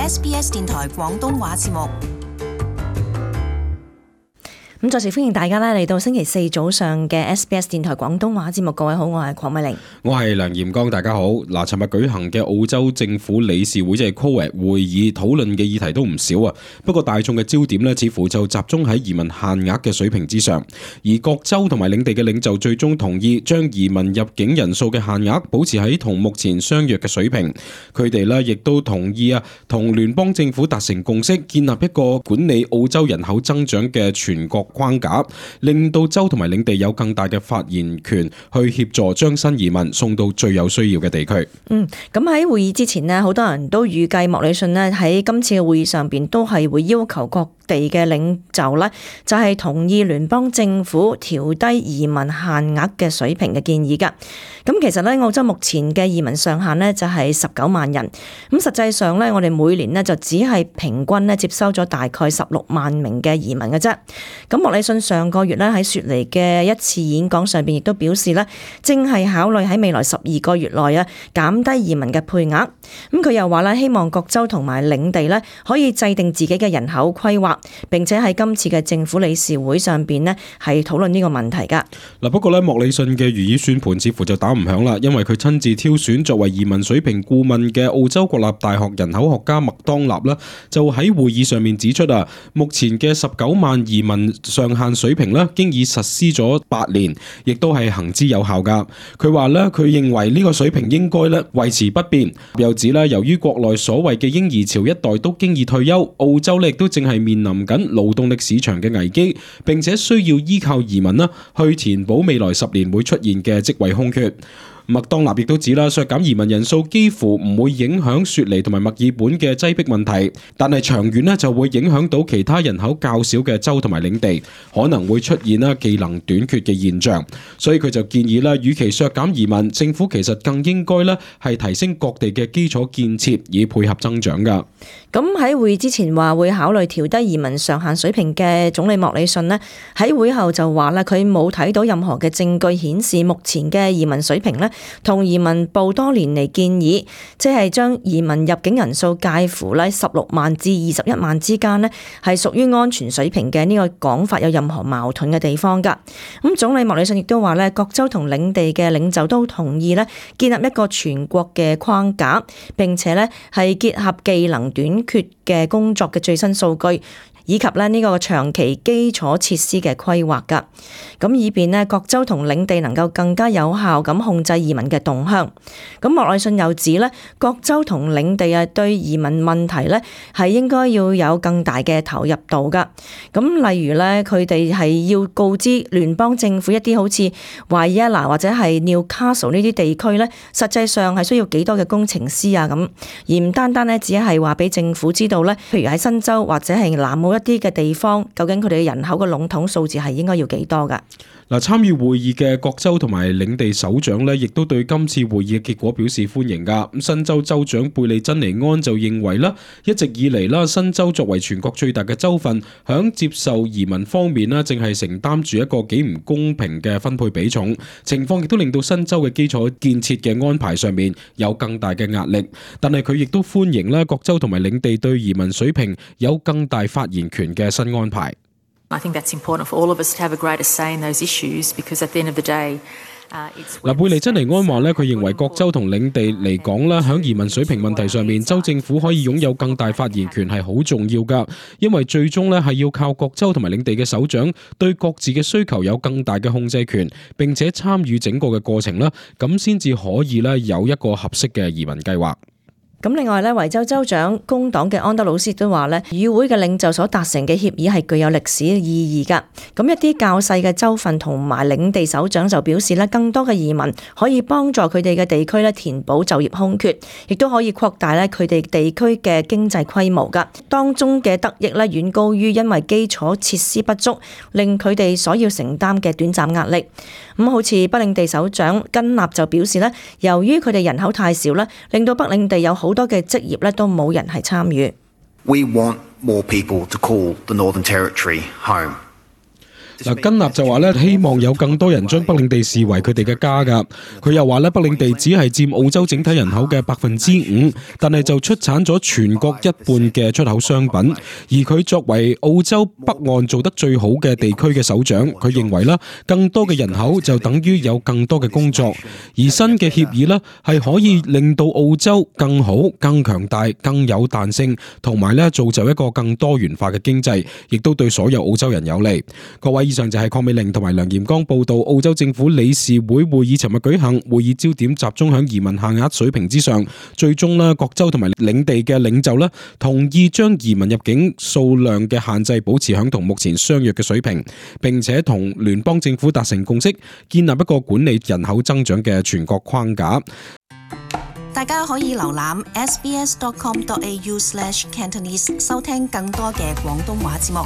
SBS 電台廣東話節目。咁再次歡迎大家嚟到星期四早上嘅 SBS 電台廣東話節目。各位好，我係鄺美玲，我係梁炎剛，大家好。嗱，尋日舉行嘅澳洲政府理事會即係 COAG 會議討論嘅議題都唔少啊。不過大眾嘅焦點呢，似乎就集中喺移民限額嘅水平之上。而各州同埋領地嘅領袖最終同意將移民入境人數嘅限額保持喺同目前相若嘅水平。佢哋呢亦都同意同聯邦政府達成共識，建立一個管理澳洲人口增長嘅全國框架，令到州同埋領地有更大嘅發言權，去協助將新移民送到最有需要嘅地區。咁喺會議之前呢，好多人都預計莫里遜呢喺今次嘅會議上邊都係會要求各地嘅領袖呢，就係同意聯邦政府調低移民限額嘅水平嘅建議㗎。咁其實呢，澳洲目前嘅移民上限呢就係19萬人。咁實際上呢，我哋每年呢就只係平均呢接收咗大概16萬名嘅移民嘅啫。咁莫里遜上個月呢喺雪梨嘅一次演講上邊亦都表示呢，正係考慮喺未來12個月內減低移民嘅配額。咁佢又話呢，希望各州同埋領地呢可以制定自己嘅人口規劃，並且喺今次嘅政府理事會上邊呢係討論呢個問題㗎。嗱，不過呢，莫里遜嘅如意算盤似乎就打唔響啦，因為佢親自挑選作為移民水平顧問嘅澳洲國立大學人口學家麥當納啦，就喺會議上面指出目前嘅19萬移民上限水平呢，經已實施咗8年，亦都係行之有效㗎。佢話呢，佢認為呢個水平應該呢維持不變。又指呢，由於國內所謂嘅嬰兒潮一代都經已退休，澳洲呢亦都正係面臨緊勞動力市場嘅危機，並且需要依靠移民去填補未來10年會出現嘅職位空缺。麥當納亦都指啦，削減移民人數幾乎唔會影響雪梨同埋墨爾本嘅擠迫問題，但係長遠呢就會影響到其他人口較少嘅州同埋領地，可能會出現技能短缺嘅現象。所以佢就建議啦，與其削減移民，政府其實更應該咧係提升各地嘅基礎建設，以配合增長噶。咁喺會議之前話會考慮調低移民上限水平嘅總理莫里遜呢，喺會後就話啦，佢冇睇到任何嘅證據顯示目前嘅移民水平呢同移民部多年嚟建議，即係將移民入境人數介乎咧16萬至21萬之間呢，係屬於安全水平嘅呢個講法有任何矛盾嘅地方噶。咁總理莫里遜亦都話咧，各州同領地嘅領袖都同意咧建立一個全國嘅框架，並且咧係結合技能短缺嘅工作嘅最新數據，以及呢個長期基礎設施嘅規劃㗎，咁以便呢各州同領地能夠更加有效咁控制移民嘅動向。咁莫里遜又指呢，各州同領地對移民問題呢係應該要有更大嘅投入度㗎。咁例如呢，佢哋係要告知聯邦政府一啲好似維也納或者係 Newcastle 呢啲地區呢，實際上係需要幾多嘅工程師啊咁，而唔單單呢只係話俾政府知道呢，譬如喺新州或者係南澳一啲嘅地方，究竟佢哋嘅人口嘅籠統數字係應該要幾多㗎？嗱，參與會議嘅各州同埋領地首長呢，亦都對今次會議嘅結果表示歡迎㗎。咁新州州長貝利珍尼安就認為啦，一直以嚟啦，新州作為全國最大嘅州份，響接受移民方面呢，正係承擔住一個幾唔公平嘅分配比重，情況亦都令到新州嘅基礎建設嘅安排上面有更大嘅壓力。但係佢亦都歡迎啦，各州同埋領地對移民水平有更大發言權嘅新安排。I think that's important for all of us to have a greater say in those issues, because at the end of the day, 貝利珍尼安話咧，佢認為各州同領地嚟講咧，響移民水平問題上面，州政府可以擁有更大發言權係好重要噶，因為最終咧係要靠各州同埋領地嘅首長對各自嘅需求有更大嘅控制權，並且參與整個嘅過程啦，咁先至可以咧有一個合適嘅移民計劃。咁另外咧，維州州長工黨嘅安德魯斯都話咧，議會嘅領袖所達成嘅協議係具有歷史意義㗎。咁一啲較細嘅州份同埋領地首長就表示咧，更多嘅移民可以幫助佢哋嘅地區咧填補就業空缺，亦都可以擴大咧佢哋地區嘅經濟規模㗎。當中嘅得益咧遠高於因為基礎設施不足令佢哋所要承擔嘅短暫壓力。咁好似北領地首長根納就表示咧，由於佢哋人口太少咧，令到北領地有好多嘅職業咧都冇人係參與。We want more people to call the Northern Territory home. 嗱，根納就話咧，希望有更多人將北領地視為佢哋嘅家㗎。佢又話咧，北領地只係佔澳洲整體人口嘅5%，但係就出產咗全國一半嘅出口商品。而佢作為澳洲北岸做得最好嘅地區嘅首長，佢認為啦，更多嘅人口就等於有更多嘅工作。而新嘅協議呢，係可以令到澳洲更好、更強大、更有彈性，同埋咧造就一個更多元化嘅經濟，亦都對所有澳洲人有利。各位，以上就係鄺美玲同埋梁炎剛報道澳洲政府理事會會議尋日舉行，會議焦點集中響移民限額水平之上。最終咧，各州同埋領地嘅領袖咧同意將移民入境數量嘅限制保持響同目前相若嘅水平，並且同聯邦政府達成共識，建立一個管理人口增長嘅全國框架。大家可以瀏覽 sbs.com.au/cantonese 收聽更多嘅廣東話節目。